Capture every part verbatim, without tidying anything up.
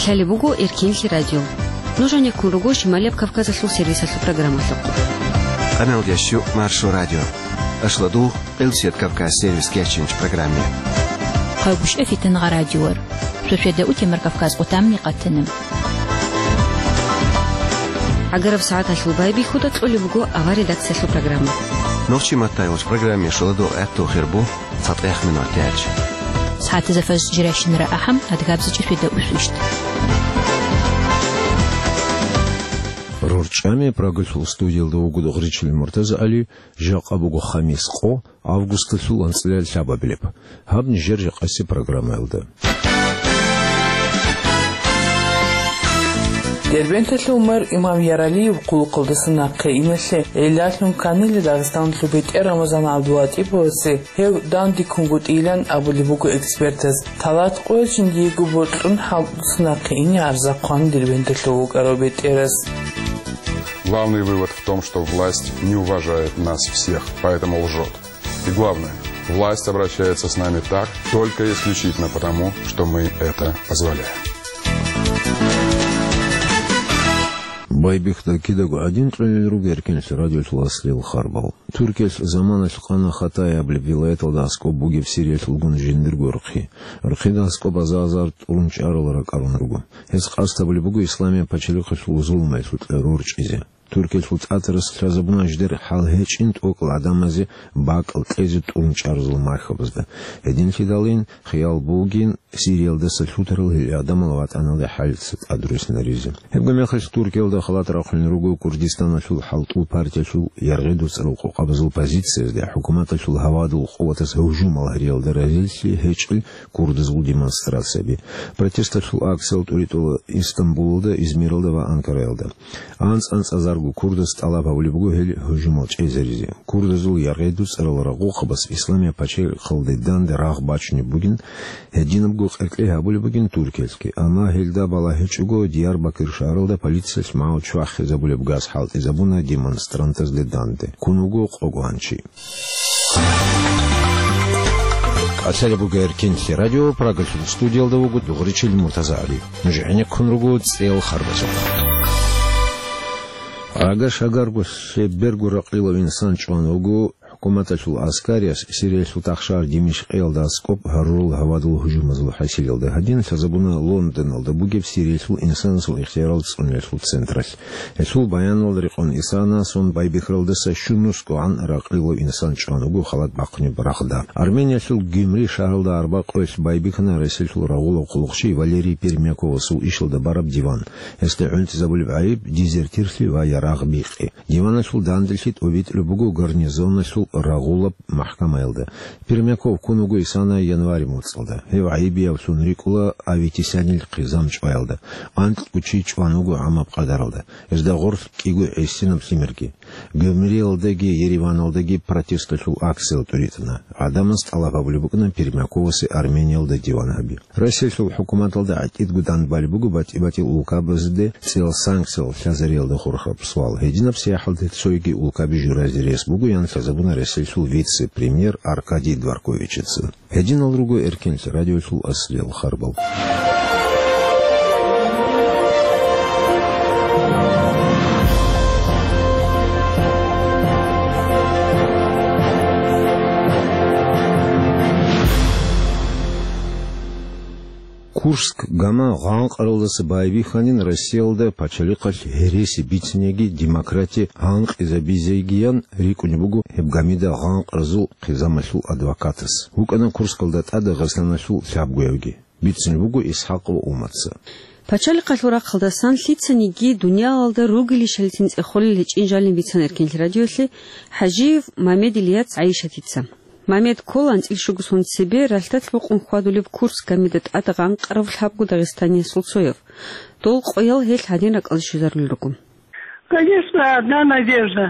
Лъалеб буго Эркенлъи радио. Нуж гьанеккун руго Шималияб Кавказалъул сервисалъул программалъухъ. Къаналдияс щу Маршо радио. Ашладу Къилсият Кавказ сервис кечинч программе. Хъайбушев Фитангъа радиор. Шошеда утемар Кавказ къутамни къатана. Агараб сагӀаталъул байбихьуда кьолеб буго авар редакциялъул программа. Нохчи маттайгъуч программе шуладу гӀатту хирбу. ЦатӀехъ минут гьечӀ. СагӀатазда фаз жиращинара ахӀам, адгабзичӀеб феда усвищт. РорчӀами Прагалъул студиялда вуго Дугъричил МуртазагӀали, жакъа буго хамис къо, августалъул анцӀила лъабабилеб. Гьаб нижер жакъаси программаялда. Дербенталъул мэр Имам Яралиев хъулухъалдаса нахъе иналъе гӀиллалъун кканила Дагъистаналъул бетӀер Рамазан ГӀабдулатӀиповасе гьев дандеккунгутӀилан абулеб буго экспертаз. Талат къоялъ жиндиего бокьун хӀалтӀуса нахъе ине гӀарза хъван Дербенталъув вукӀарав бетӀерас. Главный вывод в том, что власть не уважает нас всех, поэтому лжет. И главное, власть обращается с нами так, только исключительно потому, что мы это позволяем. Байбихьуда кидаго гӀадин кьолел руго Эркенлъи радиолъул аслияб харбал. Туркиялъ заманалъ къана Хатаяб вилаяталда аскӀоб бугеб Сириялъулгун жиндирго рхъи. Рхъида аскӀоб азар-азар тӀурун чӀарал ракӀарун руго. Гьез къасд гьабулеб буго Исламияб пачалихъалъул зулмаялъул кьеру рорчӀизе. Туркиялъул тӀатарас лъазабуна жидер хӀал гьечӀин тӀокӀал гӀадамазе бакӀал кьезе тӀурун чӀарзул мархабазда. Гьединлъидалин хиял бугин Сириялдаса лъутарал гьел гӀадамал ватӀаналде хӀалица тӀадруссинаризе. Гьебго мехалъ Туркиялда халат рахъунел руго Курдистаналъул хӀалтӀул партиялъул яргъи дуцӀарал къокъабазул позициязде хӀукуматалъул гьавадул къуватаз гьужумал гьариялда разилъи гьечӀел курдазул демонстрацияби. Протесталъул акциял тӀуритӀула Истамбулалда, Измиралда ва Анкараялда. АнцӀ-анцӀазарго курдас тӀалаб гьабулеб буго гьел гьужумал чӀезаризе. Курдазул яргъи дуцӀарал рагъухъабаз Исламияб пачалихъалде данде рагъ бачунеб бугин, гьединабго къеркье гьабулеб бугин Туркиялъги. Амма гьелда балагьичӀого Диярбакир шагьаралда полициялъ магӀу чвахизабулеб газ хӀалтӀизабуна демонстрантазде данде. Ккун вуго къого гьанчи. КӀалъалеб буго Эркенлъи радио, Прагалъул студиялда вуго Дугъричил МуртазагӀали. Нуж гӀенеккун руго цӀеял харбазухъ. Агар шагарго лъеберго ракъилав инсан чӀван вуго, хӀукуматалъул аскарияс Сириялъул тахшагьар Димишкъиялда аскӀоб гьарурал гьавадул гьужумазул хӀасилалда гьадин лъазабуна Лондоналда бугеб Сириялъул инсанасул ихтиярал цӀуниялъул централъ. Гьелъул баяналда рекъон Исана сон байбихьаралдаса щунусгогӀан ракъилав инсан чӀван вуго халат бахъунеб рагъда. Армениялъул Гюмри шагьаралда арба къоялъ байбихьана Россиялъул рагъулав хъулухъчи Валерий Пермяковасул ишалда бараб диван. Гьесда гӀунтӀизабулеб гӀайиб дезертирлъи ва ярагъ бикъи. Диваналъул данделъи тӀобитӀулеб буго гарнизоналъул рагъулаб махкамаялда. Пермяков ккун вуго Исана январь моцӀалда. Гьев гӀайибиявлъун рикӀкӀула Аветисянил хъизан чӀваялда. Анкьго чи чӀван вуго гӀамаб къадаралда. Гьезда гъорлъ кӀиго гӀисинаб лъимерги. Гюмриялдаги Ереваналдаги протесталъул акциял тӀуритӀана. ГӀадамаз тӀалаб гьабулеб букӀана Пермяковасе Армениялда диван гьаби. Россиялъул хӀукуматалда гӀатӀидго данбалеб буго батӀи-батӀиял улкабазде цӀеял санкциял лъазариялда хурхараб суал. Гьединаб сияхӀалде цойги улкаби журазе рес бугоян лъазабуна Россиялъул вице-премьер Аркадий Дворковичица. Гьединал руго Эркенлъи радиолъул аслиял харбал. Курск гама гъанкъаралдаса байбихьанин Россиялда пачалихъалъ гьереси бициниги демократия гъанкъизабизегиян рикӀкӀунеб буго гьеб гамида гъанкъразул хъизамалъул адвокатас. ВукӀана Курскалда тӀад Дагъистаналъул лъабгоявги. Бицунеб буго Исхакъ ва Умаца. Пачалихъалъул рахъалдасан лъицаниги дуниялалда ругелищалицин цӀехолел гьечӀин жалин бицана Эркенлъи радиолъе ХӀажиев Мамед Ильяц ГӀайшатица. Мамед ккола анцӀил щуго сон цебе ралъдалъ букъун хьвадулеб Курск гамида тӀад гъанкъарав лъабго дагъистаниясул цояв. Дол къоял гьелъ гьадин ракӀалде щвезарулел руго. Конечно, одна надежда.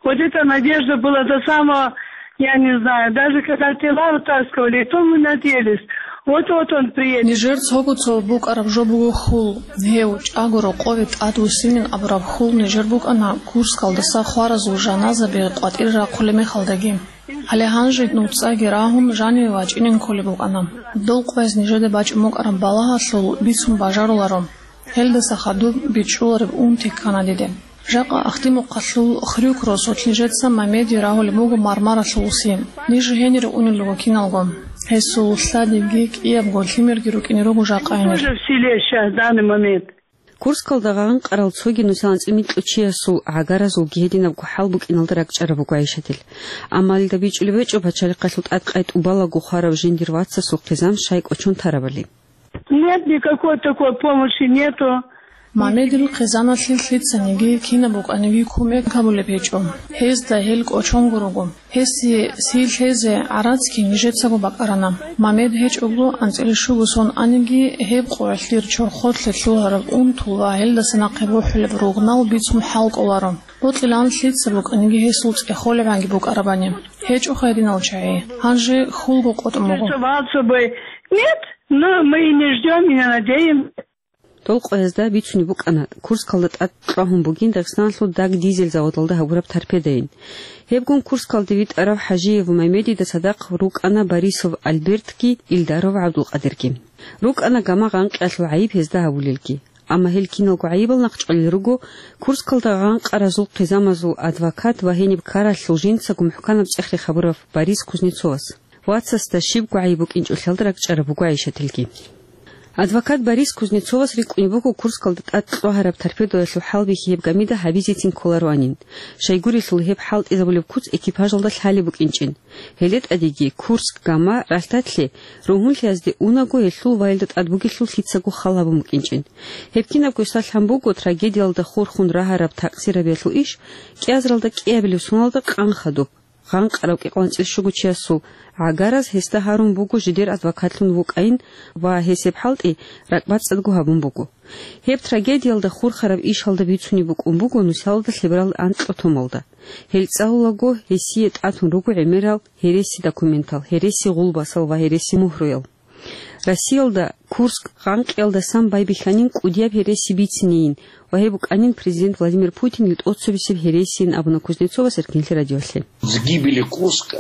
Вот эта надежда была до самого, я не знаю, даже когда тела вытаскивали, и то мы надеялись. Вот-вот он приедет. Нижер цого цо букӀараб жо буго хьул. Гьев, чӀаго рокъове тӀадвуссинин абураб хьул нижер букӀана Курскалдаса хваразул жаназаби къватӀир рахъулеб мехалдаги. Гьале гьанже нуцӀаги рагьун жаниве вачӀинин кколеб букӀана. Дол къвез нижеда бачӀун букӀараб балагьалъул бицун бажаруларо. Гьелдаса хадуб бичӀчӀулареб унти ккана диде. Жакъа Ахдимухъалъул Хрюк росулъ нижеца Мамеди рагьулеб буго Мармаралъул уси. Ниж гьенире унел руго киналго. Гьесул лъадиги кӀиябго лъимерги рукӀине руго жакъа гьенир. Тоже в селе щас, в данный момент. Курскалда гъанкъарал цоги нусал анцӀила микьучиясул гӀагаразулги гьединабго хӀал букӀиналда ракӀчӀараб буго ГӀайшатил. Амма гьелда бичӀчӀулеб гьечӀо пачалихъалъул тӀадкъай тӀубалаго хварав жиндир вацасул хъизан щай кӀочон тарабали. Нет, никакой такой помощи нету. Мамедил хъизаналъе лъицаниги кинаб букӀаниги кумек гьабулеб гьечӀо. Гьезда гьел кӀочонго руго. Гьесие сий лъезе гӀарацги нижецаго бакӀарана. Мамед гьечӀого анцӀила щуго сон аниги, гьеб къоялъ дир чорхолъе лъугьараб унтул ва гьелдаса нахъе бухӀулеб ругнал бицун хӀал кӀоларо. Бокьилан лъица букӀаниги гьесул цӀехолебгӀанги букӀарабани. ГьечӀо гьединал чагӀи. Гьанже хьулго къотӀун буго. Нет, но мы и не ждём, и не надеемся. Дол къоязда бицунеб букӀана, Курскалда тӀад кьвагьун бугин Дагъистаналъул даг дизель заводалда гьабураб торпедайин. Гьебгун Курскалде витӀарав ХӀажиев Мамедида цадахъ рукӀана Борисов Альбертги Илдаров ГӀабдулкъадирги. РукӀана гама гъанкъиялъул гӀайиб гьезда гьабулелги. Амма гьел киналго гӀайибал нахъчӀвалел руго Курскалда гъанкъаразул хъизамазул адвокат ва гьениб ккаралъул жинцаго мухӀканаб цӀех-рех гьабурав Борис Кузнецовас. Вацасда щибго гӀайиб букӀинчӀолъиялда ракӀчӀараб буго ГӀайшатилги. Адвокат Борис Кузнецовас рикӀкӀунеб буго Курскалда тӀад кьвагьараб торпедоялъул хӀалбихьи гьеб гамида гьабизецин кколароанин, щайгурелъул гьеб хӀалтӀизабулеб куц экипажалда лъалеб букӀинчӀин. Гьеле тӀадеги Курск гама ралъдалъе ругьунлъиязде унаго гьелъул ваялда тӀад бугелъул лъицаго хал гьабун букӀинчӀин. Гьеб кинабго салъан буго трагедиялда хурхун рагьараб такъсирабиялъул иш кӀиазаралда кӀиабилеб соналда къан хадуб. Гъанкъарав кӀикъоялда анцӀила щуго чиясул гӀагараз гьесда гьарун буго жидер адвокатлъун вукӀайин ва гьес гьеб хӀалтӀи ракӀбацӀцӀадго гьабун буго. Гьеб трагедиялда хурхараб ишалда бицунеб букӀун буго нусалда лъеберал анкьго томалда. Гьел цӀалулаго гьесие тӀатун руго гӀемерал гьереси документал, гьереси гъулбасал ва гьереси мугьруял. Россиялда Курск гъанкъиялдасан байбихьанин кӀудияб гьереси бицинейин ва гьеб букӀанин президент Владимир Путинил тӀоцебесеб гьересийин абуна Кузнецовас Эркинлъи радиолъе. С гибели Курска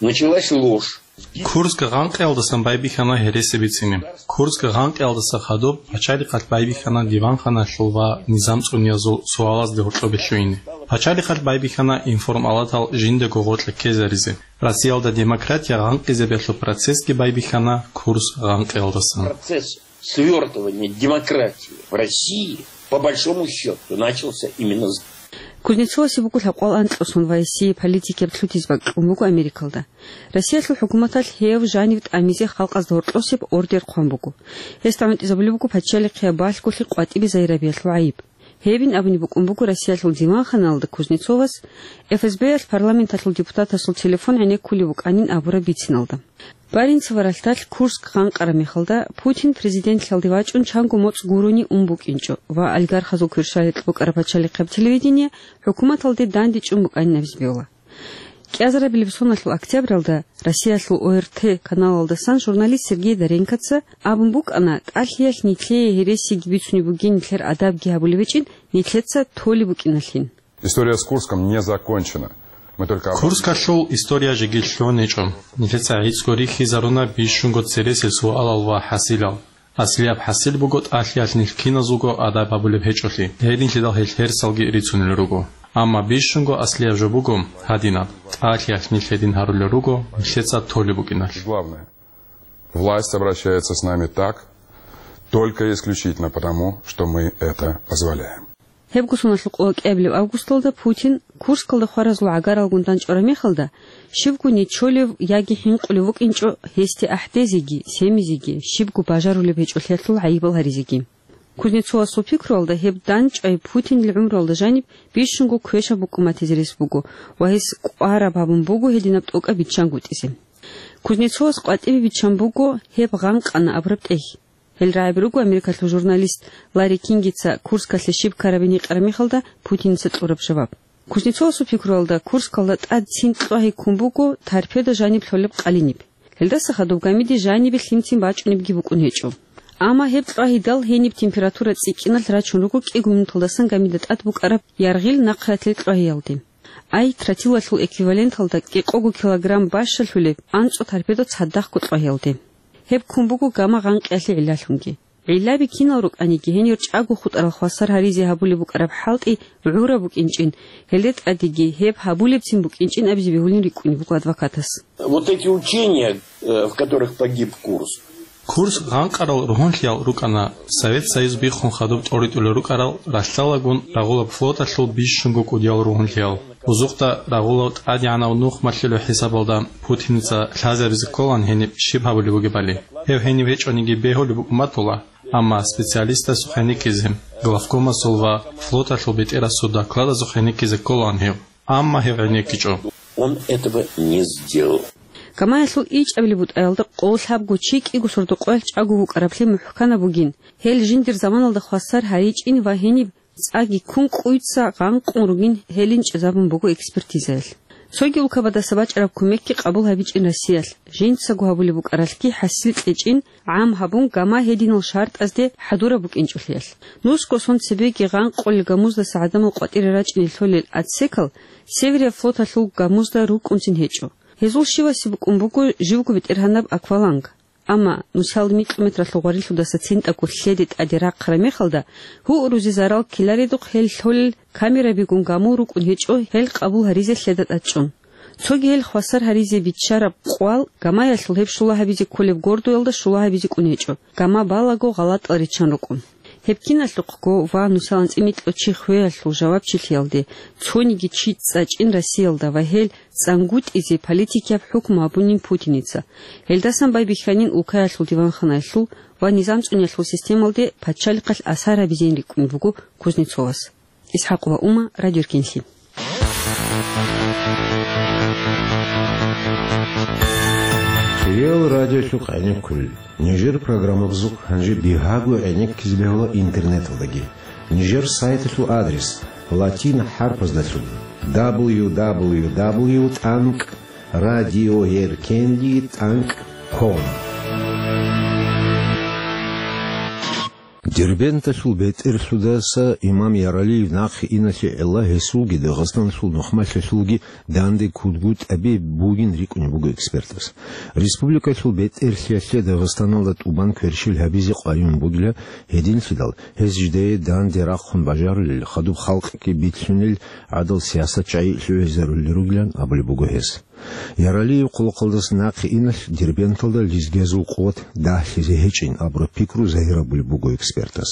началась ложь. Курск гъанкъиялдасан байбихьана гьереси бицине. Курск гъанкъиялдаса хадуб пачалихъалъ байбихьана диванханалъул ва низам цӀуниязул суалазде гьоркьобе лъугьине. Пачалихъалъ байбихьана информалатал жиндаго гъоркье ккезаризе. Россиялда демократия гъанкъизабиялъул процессги байбихьана Курск гъанкъиялдасан. Процесс свёртывания демократии в России, по большому счёту, начался именно с... Кузнецовасе буго лъабкъоялда анкьго сон ва гьесие политикияб лъутиз бакӀ кьун буго Америкалда. Россиялъул хӀукуматалъ гьев жанив тӀамизе халкъазда гьоркьосеб ордер хъван буго. Гьесда гӀунтӀизабулеб буго пачалихъияб балъголъи къватӀибе загьирабиялъул гӀайиб. Гьебин абунеб букӀун буго Россиялъул диванханалда Кузнецовас, ФСБ-ялъ парламенталъул депутатасул телефон гӀенеккулеб букӀанин абураб бициналда. Баренцево ралъдалъ Курск гъанкъараб мехалда Путин президентлъиялде вачӀун чанго моцӀ гурони ун букӀинчӀо ва олигархазул кверщаликь букӀараб пачалихъияб телевидение хӀукуматалде дандечӀун букӀанин абизе бегьула. КӀиазарабилеб соналъул октябралда Россиялъул ОРТ каналалдасан журналист Сергей Доренкоца абун букӀана, тӀалъиялъ нилъее гьересиги бицунеб бугин, нилъер адабги гьабулеб гьечӀин, нилъеца толеб букӀиналъин. История с Курском не закончена. Мы только об... Курскалъул история жеги лъугьун гьечӀо. Нилъеца гӀицӀго рихьизаруна бищунго цересел суалал ва хӀасилал. Аслияб хӀасил буго тӀалъиялъ нилъ киназулго адаб гьабулеб гьечӀолъи, гьединлъидал гьел гьерсалги рицунел руго. Амма бищунго аслияб жо буго гьадинаб: тӀалъиялъ нилъ гьедин гьарулел руго, нилъеца толеб букӀиналъ. Главное, власть обращается с нами так, только и исключительно потому, что мы это позволяем. Гьебго соналъул къо кӀиабилеб августалда Путин Курскалда хваразул гӀагаралгун дандчӀвараб мехалда, щибго нечолев яги хӀинкъулев вукӀинчӀо гьесде ахӀдезеги, семизеги, щибго бажарулеб гьечӀолъиялъул гӀайибал гьаризеги. Кузнецовасул пикруялда, гьеб дандчӀвай Путинил гӀумруялда жаниб бищунго квешаб букӀун батизе рес буго ва гьес кӀвараб гьабун буго гьединаб тӀокӀаб биччангутӀизе. Кузнецовас къватӀибе биччан буго гьеб гъанкъана абураб тӀехь. Гьел рагӀаби руго Америкалъул журналист Ларри Кингица Курскалъе щиб ккарабин гьикъараб мехалда Путиница кьураб жаваб. Кузнецовасул пикруялда, Курскалда тӀад цин кьвагьи ккун буго торпедо жаниб лъолеб къалиниб. Гьелдаса хадуб гамиде жанибе лъимцин бачӀунебги букӀун гьечӀо. Амма гьеб кьвагьидал гьениб температура цӀикӀкӀиналъ рачун руго кӀиго минуталдасан гамида тӀад букӀараб яргъил нахъралъил кьвагьиялде. Ай, тротилалъул эквиваленталда кӀикъого килограмм бащалъулеб анцӀго торпедо цадахъго кьва гьелде. Гьеб ккун буго гамма гъанкъиялъе гӀиллалъунги. ГӀиллаби кинал рукӀаниги, гьенир чӀаго хутӀарал хвасар гьаризе гьабулеб букӀараб хӀалтӀи гӀураб букӀинчӀин, гьелде тӀадеги гьеб гьабулебцин букӀинчӀин абизе бегьулин рикӀкӀунеб буго адвокатас. Вот эти учения, э, в которых погиб Курск. Курск гъанкъарал ругьунлъиял рукӀана Совет Союз биххун хадуб тӀоритӀулел рукӀарал ралъдалгун рагъулаб флоталъул бищунго кӀудиял ругьунлъиял. Узухъда рагъулав тӀадегӀанав нух малъулев хӀисабалда Путиница лъазабизе кколаан гьениб щиб гьабулеб бугебали. Гьев гьенив гьечӀониги бегьулеб букӀун батула, амма специалистасухъ гьенеккизе, главкомасул ва флоталъул бетӀерасул докладазухъ гьенеккизе кколаан гьев, амма гьев гьенеккичӀо. Он этого не сделал. Гамаялъул ичӀабилеб бутӀаялда къо лъабго чи кӀиго сордо-къоялъ чӀаго вукӀараблъи мухӀканаб бугин, гьел жиндир заманалда хвасар гьаричӀин ва гьениб цӀаги ккун къуйца гъанкъун ругин гьелин чӀезабун буго экспертизаялъ. Цоги улкабадаса бачӀараб кумекги къабул гьабичӀин Россиялъ, жинцаго гьабулеб букӀаралъги хӀасил кьечӀин гӀам гьабун, гама гьединал шартӀазде хӀадураб букӀинчӀолъиялъ. Нусго сон цебеги гъанкъулел гамуздаса гӀадамал къватӀире рачӀине лъолел отсекал Северия флоталъул гамузда рукӀунцин гьечӀо. Гьезул щивасе букӀун буго живго бетӀергьанаб акваланг. Амма нусал микьометралъул гъварилъудаса цинтӀаго лъеде тӀаде рахъараб мехалда, гьурузе зарал ккеларедухъ гьел лъолел камерабигун гамул рукӀун гьечӀо гьел къабул гьаризе лъеда тӀад чӀун. Цоги гьел хвасар гьаризе биччараб къвал гамаялъул гьеб щула гьабизе кколеб гордоялда щула гьабизе кӀун гьечӀо, гама балаго гъалатӀал риччан рукӀун. Гьеб киналъухъго ва нусал анцӀила микьго чи хвеялъул жавабчилъиялде цониги чи цӀачӀин Россиялда ва гьел цӀангутӀизе политикияб хӀукму гьабунин Путиница. Гьелдасан байбихьанин улкаялъул диванханаялъул ва низам цӀуниялъул системалде пачалихъалъ асар гьабизейин рикӀкӀун буго Кузнецовас. ИсхӀакъ ва Ума, Радио Эркенлъи. Хириял радиолъухъ гӀенеккулел. Нижер программабазухъ гьанже бигьаго гӀенеккизе бегьула интернеталдаги. Нижер сайталъул адрес латин хӀарпаздалъун: дабл ю дабл ю дабл ю тӀанкӀ радиоеркенли тӀанкӀ ком. Дербенталъул бетӀерлъудаса имам Яралиев нахъе иналъе гӀелла гьесулги Дагъистаналъул нухмалъулги данде кудгутӀаби бугин рикӀкӀунеб буго экспертас. Республикалъул бетӀерлъиялъе Дагъистаналда тӀубан кверщел гьабизе къайун бугила, гьединлъидал гьез жидее данде рахъун бажарулел, хадуб халкъги битлъунел гӀадал сиясат чагӀи лъугӀизарулел ругилан абулеб буго гьес. Яралиев хъулухъалдаса нахъе иналъ Дербенталда лезгиязул къуват дагьлъизе гьечӀин абураб пикру загьирабулеб буго экспертас.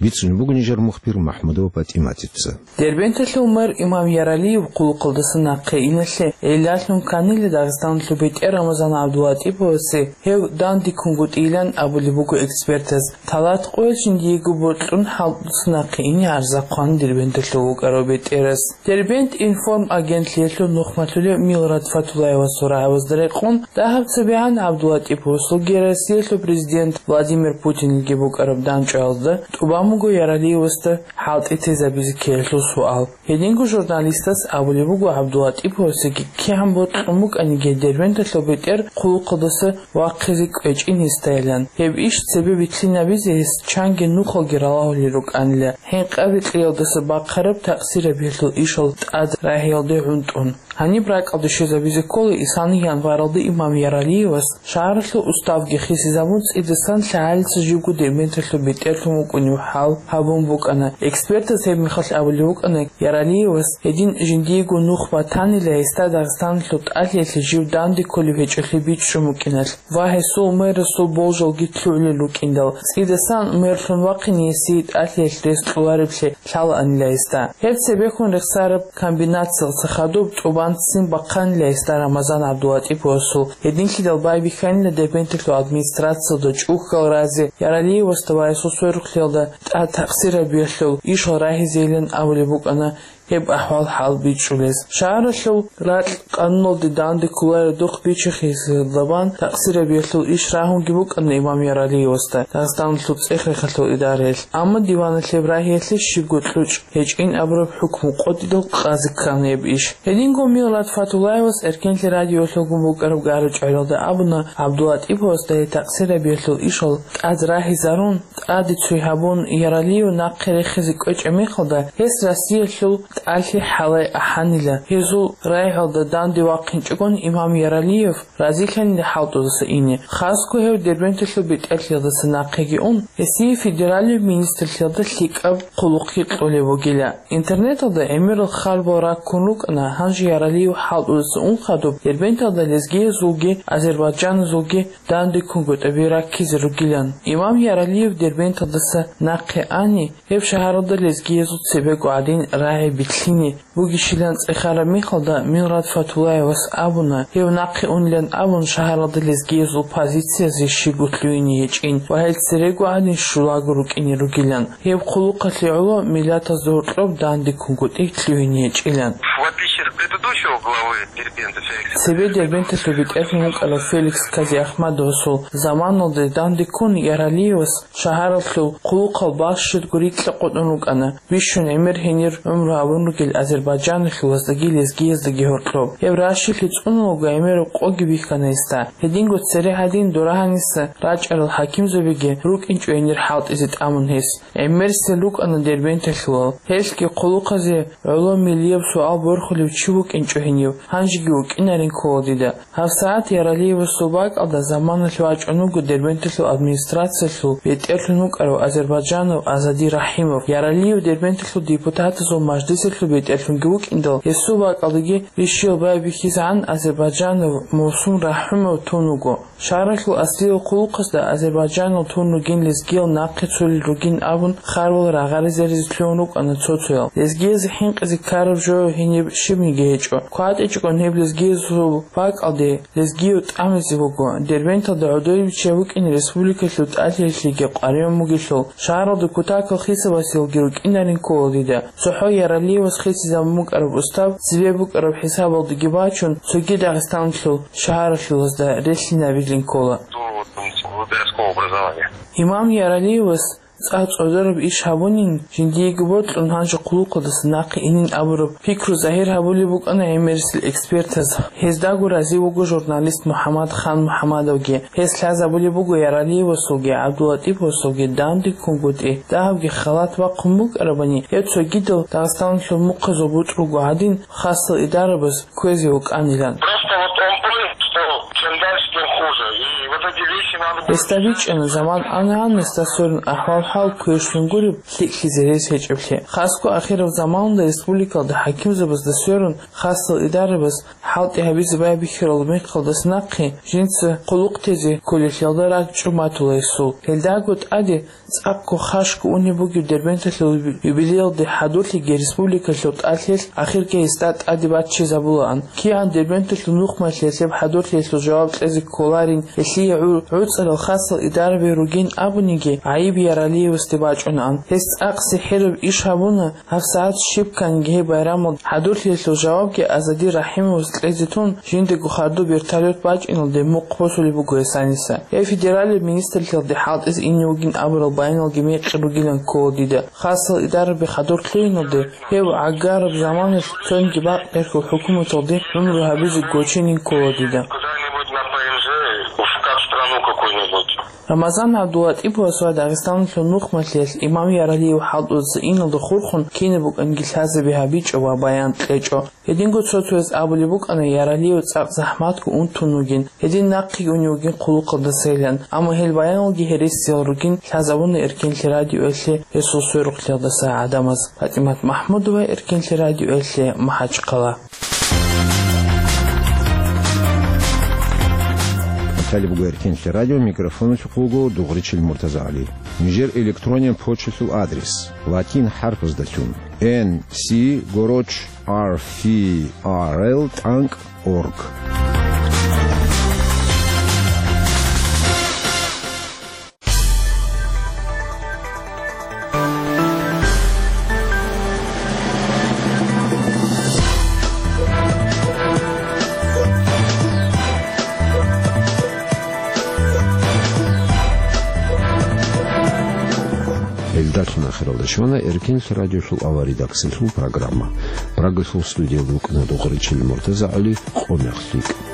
Бицунеб буго нижер мухбир МахӀмудова ПатӀиматица. Дербенталъул мэр имам Яралиев хъулухъалдаса нахъе иналъе гӀиллалъун кканила Дагъистаналъул бетӀер Рамазан ГӀабдулатӀиповасе гьев данде ккунгутӀилан абулеб буго экспертаз. Талат къоялъ жиндиего бокьун хӀалтӀуса нахъе ине гӀарзахъан Дербенталъув вукӀарав бетӀерас. Дербент информ агентлъиялъул нухмалъулев Милрат Фатулаевасул рагӀабазда рекъон, дагьаб цебегӀан ГӀабдулатӀиповасулги Россиялъул президент Владимир Путинилги букӀараб дандчӀваялда тӀубан буго Яралиевасда хӀалтӀи тезабизе ккелелъул суал. Гьединго журналистас абулеб буго ГӀабдулатӀиповасеги кигӀан бокьун букӀаниги Дербенталъул бетӀер хъулухъалдаса вахъизе кӀвечӀин гьесдайилан. Гьеб иш цебе вилълъинабизе гьес чанги нухалги ралагьулел рукӀанила, гьенкъаби кьиялдаса бахъараб такъсирабиялъул ишал тӀад рагьиялде гӀунтӀун. Гьаниб ракӀалде щвезабизе ккола исани январалда имам Яралиевас шагьаралъул уставги хисизабун, цӀидасан лъагӀалица живго Дербенталъул бетӀерлъун вукӀунев хӀал гьабун букӀана. Экспертаз гьеб мехалъ абулеб букӀана, Яралиевас гьедин жиндиего нух батанила гьесда Дагъистаналъул тӀалъиялъе жив данде кколеб гьечӀолъи бичӀчӀун букӀиналъ ва гьесул мэрасул болжалги лъугӀулел рукӀиндал, цӀидасан мэрлъун вахъине гьесие тӀалъиялъ рес кьолареблъи лъалаанила гьесда. Гьеб цебехун рехсараб комбинациялъа хадуб тӀубан ццин бахъанила гьесда Рамазан ГӀабдулатӀиповасул. Гьединлъидал байбихьанила Дербенталъул администрациялда чӀухьал разе Яралиевасда ва гьесул сверухълъиялда тӀад такъсирабиялъул ишал рагьизейилан абулеб букӀана гьеб ахӀвал-хӀал бичӀчӀулез. Шагьаралъул ракь къануналде данде кколаредухъ бичи-, хисизабан такъсирабиялъул иш рагьунги букӀана имам Яралиевасда Дагъистаналъул цӀех-рехалъул идараялъ, амма диваналъ гьеб рагьиялъе щибго кьучӀ гьечӀин абураб хӀукму къотӀидал къазе ккана гьеб иш. Гьединго Милрат Фатулаевас Эркенлъи радиоялъулгун букӀараб гара-чӀваралда абуна, ГӀабдулатӀиповасда гьеб такъсирабиялъул ишал тӀад рагьизарун, тӀаде цой гьабун, Яралиев нахъе рехизе кӀвечӀеб мехалда, гьес Россиялъул тӀалъи хӀалай ахӀанила. Гьезул рагӀалда данде вахъинчӀогон имам Яралиев разилъанила хӀалтӀудаса ине. Хасго гьев Дербенталъул бетӀерлъиялдаса нахъеги ун, гьесие федералияб министрлъиялда лъикӀаб хъулухъги кьолеб бугила. Интернеталда гӀемерал харбал раккун рукӀана, гьанже Яралиев хӀалтӀудаса ун хадуб Дербенталда лезгиязулги азербайджаназулги данде ккунгутӀаби раккизе ругилан. Имам Яралиев Дербенталдаса нахъе ани, гьеб шагьаралда лезгиязул цебего гӀадин рагӀи билълъине бугищилан цӀехараб мехалда, Мират Фатуллаевас абуна, гьев нахъе унилан абун, шагьаралда лезгиязул позициязе щибго лъугьине гьечӀин ва гьел церего гӀадин щулаго рукӀине ругилан. Гьеб хъулухъалъе гӀоло миллатазда гьоркьоб данде ккунгутӀи лъугьине гьечӀилан. В отличие от предыдущего главы Дербента Феликса Цебе Дербенталъул бетӀерлъун вукӀарав Феликс Казиахмадовасул заманалде данде ккун, Яралиевас шагьаралъул хъулухъал балъ щибго рикьа къотӀун рукӀана. Бищун гӀемер гьенир гӀумру гьабун ругел азербайджаналъул вацаги лезгияздаги гьоркьоб. Гьеб ращилъи цӀунулго гӀемераб къоги бихьана гьесда. Гьединго цере гьадин дора гьаниса рачӀарал хӀакимзабиги рукӀинчӀо гьенир хӀалтӀизе тӀамун гьес. ГӀемерисел рукӀана Дербенталъулал. Гьелъги хъулухъазе гӀоло миллияб суал борхулев чи вукӀинчӀо гьенив, гьанжеги вукӀинарин ккола дида. ГьабсагӀат Яралиевасул бакӀалда заманалъ вачӀун вуго Дербенталъул администрациялъул бетӀерлъун вукӀарав азербайджанав Азади Рахимов. Яралиев Дербенталъул депутатазул мажлисалъул бетӀерлъунги вукӀиндал, гьесул бакӀалдаги рищел байбихьизегӀан азербайджанав Мусум Рахимов тун вуго. Шагьаралъул аслиял хъулухъазда азербайджанал тун ругин лезгиял нахъе цолел ругин абун, харбал рагъаризе-ризе лъугьун рукӀана цо-цоял. Лезгиязе хӀинкъизе ккараб жо гьениб щибниги гьечӀо. КватӀичӀогон гьеб лезгиязул бакӀалде лезгияв тӀамизе вуго. Дербенталда гӀодове биччай букӀин республикалъул тӀалъиялъеги къваригӀун бугелъул, шагьаралда кутакал хисабасеялги рукӀинарин ккола дида. ЦохӀо Яралиевас хисизабун букӀараб устав цебе букӀараб хӀисабалдаги бачун, цоги Дагъистаналъул шагьаралъулазда релълъинабилин ккола. До, там, выборгского образования. Имам Яралиевас цӀакъ цӀордараб иш гьабунин, жиндиего бокьун гьанже хъулухъалдаса нахъе инин абураб пикру загьир гьабулеб букӀана гӀемерисел экспертаз. Гьездаго рази вуго журналист МухӀаммад Хан МухӀаммадовги. Гьес лъазабулеб буго Яралиевасулги ГӀабдуллатӀиповасулги данде ккунгутӀи, дагьабги халат бахъун букӀарабани, гьеб цогидал Дагъистаналъул мухъазул бутӀрулго гӀадин, хасал идарабаз кквезе вукӀанилан. Просто вот он понял, что чем дальше, тем хуже. И вот эти вещи надо было Гьесда бичӀчӀана, заман ана-ана гьесда сверун ахӀвал-хӀал квешлъун гуреб, лъикӀлъизе рес гьечӀеблъи. Хасго ахираб заманалда республикалда хӀакимзабазда сверун хасал идарабаз хӀалтӀи гьабизе байбихьарал мехалдаса нахъе жинца хъулухъ тезе кколелъиялда ракӀчӀун батула гьесул. Гьелдаго тӀаде цӀакъго хашго унеб бугеб Дербенталъул юбилеялде хӀадурлъиги республикалъул тӀалъиялъ ахирги гьесда тӀаде баччизабулаан. КигӀан Дербенталъул нухмалъиялъ гьеб хӀадурлъиялъул жаваб кьезе кколарин, гьелъие гӀу-, гӀуцӀарал хасал идарабе ругин абуниги, гӀайиб Яралиевасде бачӀунаан. Гьес цӀакъ сихӀираб иш гьабуна, ГьабсагӀат щиб кканги гьеб байрамалда хӀадурлъиялъул жавабги Азади Рахимовас кьезе тун, жиндаго хадуб вертолет бачӀиналде мухъ босулеб буго гьесаниса. Гьеб федералияб министрлъиялде хӀалтӀизе ине вугин абурал баяналги мекъи ругилан ккола дида. Хасал идарабе хадур лъугьиналде, гьев гӀагараб заманалъ цониги бакъ берхьул хӀукуматалде гӀумру гьабизе гоченин ккола дида. Куда-нибудь на П Н Ж, в как страну какую-нибудь. Рамазан ГӀабдуллатӀиповас ва Дагъистаналъул нухмалъиялъ имам Яралиев хӀалтӀудаса иналда хурхун кинаб букӀанги лъазабе гьабичӀо ва баян кьечӀо. Гьединго цо-цояз абулеб букӀана, Яралиев цӀакъ захӀматго ун тун вугин, гьедин нахъеги унев вугин хъулухъалдасайилан, амма гьел баяналги гьересиял ругин лъазабуна Эркенлъи радиоялъе гьесул сверухълъиялдаса гӀадамаз. ПатӀимат МахӀмудова, Эркенлъи радиоялъе, МахӀачхъала. Талиб буго Эркенлъи радио, микрофоналъухъ вуго Дугъричил МуртазагӀали. Нижер электронен почталъул адрес: латин хӀарпаздалъун, Н С горочь ар фи ар эл тӀанкӀ орг. Гьелдалъун ахиралда щвана Эркенлъи радиолъул авария редакциялъул программа. Прагалъул студиялда вукӀана Дугъричил МуртазагӀали. Къо мехалъ рикӀкӀ.